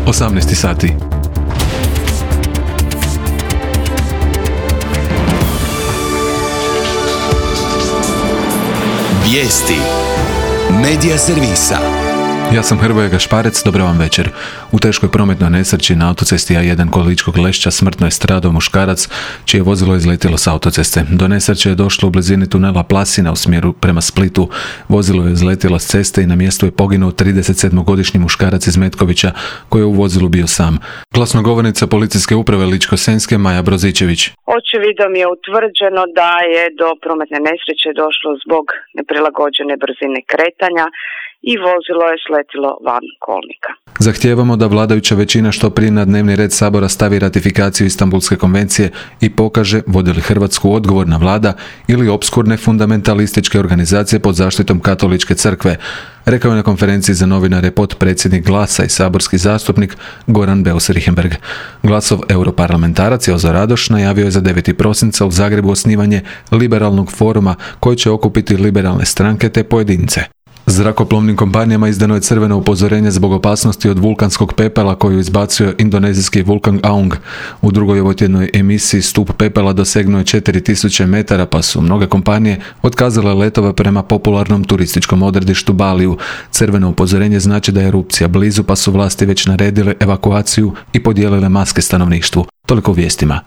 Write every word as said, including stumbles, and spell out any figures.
osamnaest sati. Vijesti Medija servisa. Ja sam Hrvoje Gašparec, dobro vam večer. U teškoj prometnoj nesreći na autocesti A jedan kod Ličkog Lešća smrtno je stradao muškarac čije vozilo izletilo s autoceste. Do nesreće je došlo u blizini tunela Plasina u smjeru prema Splitu. Vozilo je izletilo s ceste i na mjestu je poginuo tridesetsedmogodišnji muškarac iz Metkovića koji je u vozilu bio sam. Glasnogovornica policijske uprave Ličko-senjske Maja Brozičević. Očevidom je utvrđeno da je do prometne nesreće došlo zbog neprilagođene brzine kretanja i vozilo je sletilo van kolnika. Zahtijevamo da vladajuća većina što prije na dnevni red Sabora stavi ratifikaciju Istanbulske konvencije i pokaže vodi li Hrvatsku odgovorna vlada ili opskurne fundamentalističke organizacije pod zaštitom Katoličke crkve, rekao je na konferenciji za novinare potpredsjednik Glasa i saborski zastupnik Goran Beus Richembergh. Glasov europarlamentarac Jozo Radoš najavio je za deveti prosinca u Zagrebu osnivanje liberalnog foruma koji će okupiti liberalne stranke te pojedince. Zrakoplovnim kompanijama izdano je crveno upozorenje zbog opasnosti od vulkanskog pepela koju izbacio indonezijski vulkan Aung. U drugoj ovotjednoj emisiji stup pepela dosegnuo je četiri tisuće metara pa su mnoge kompanije otkazale letove prema popularnom turističkom odredištu Baliju. Crveno upozorenje znači da je erupcija blizu pa su vlasti već naredile evakuaciju i podijelile maske stanovništvu. Toliko u vijestima.